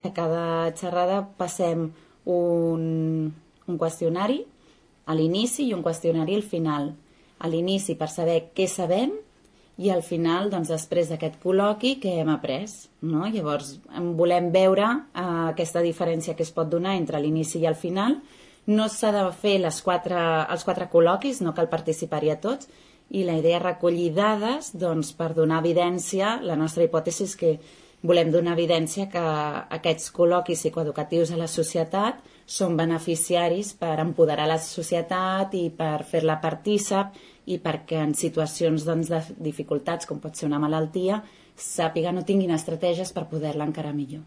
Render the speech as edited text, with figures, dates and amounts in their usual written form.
A cada xerrada passem un qüestionari a l'inici i un qüestionari al final. A l'inici per saber què sabem i al final, doncs, després d'aquest col·loqui, què hem après. No? Llavors, volem veure aquesta diferència que es pot donar entre l'inici i el final. No s'ha de fer els quatre col·loquis, no cal participar-hi a tots, i la idea és recollir dades doncs, per donar evidència. La nostra hipòtesi és que volem donar evidència que aquests col·loquis psicoeducatius a la societat són beneficiaris per empoderar la societat i per fer-la partícip i perquè en situacions doncs, de dificultats, com pot ser una malaltia, sàpiguen o tinguin estratègies per poder-la encarar millor.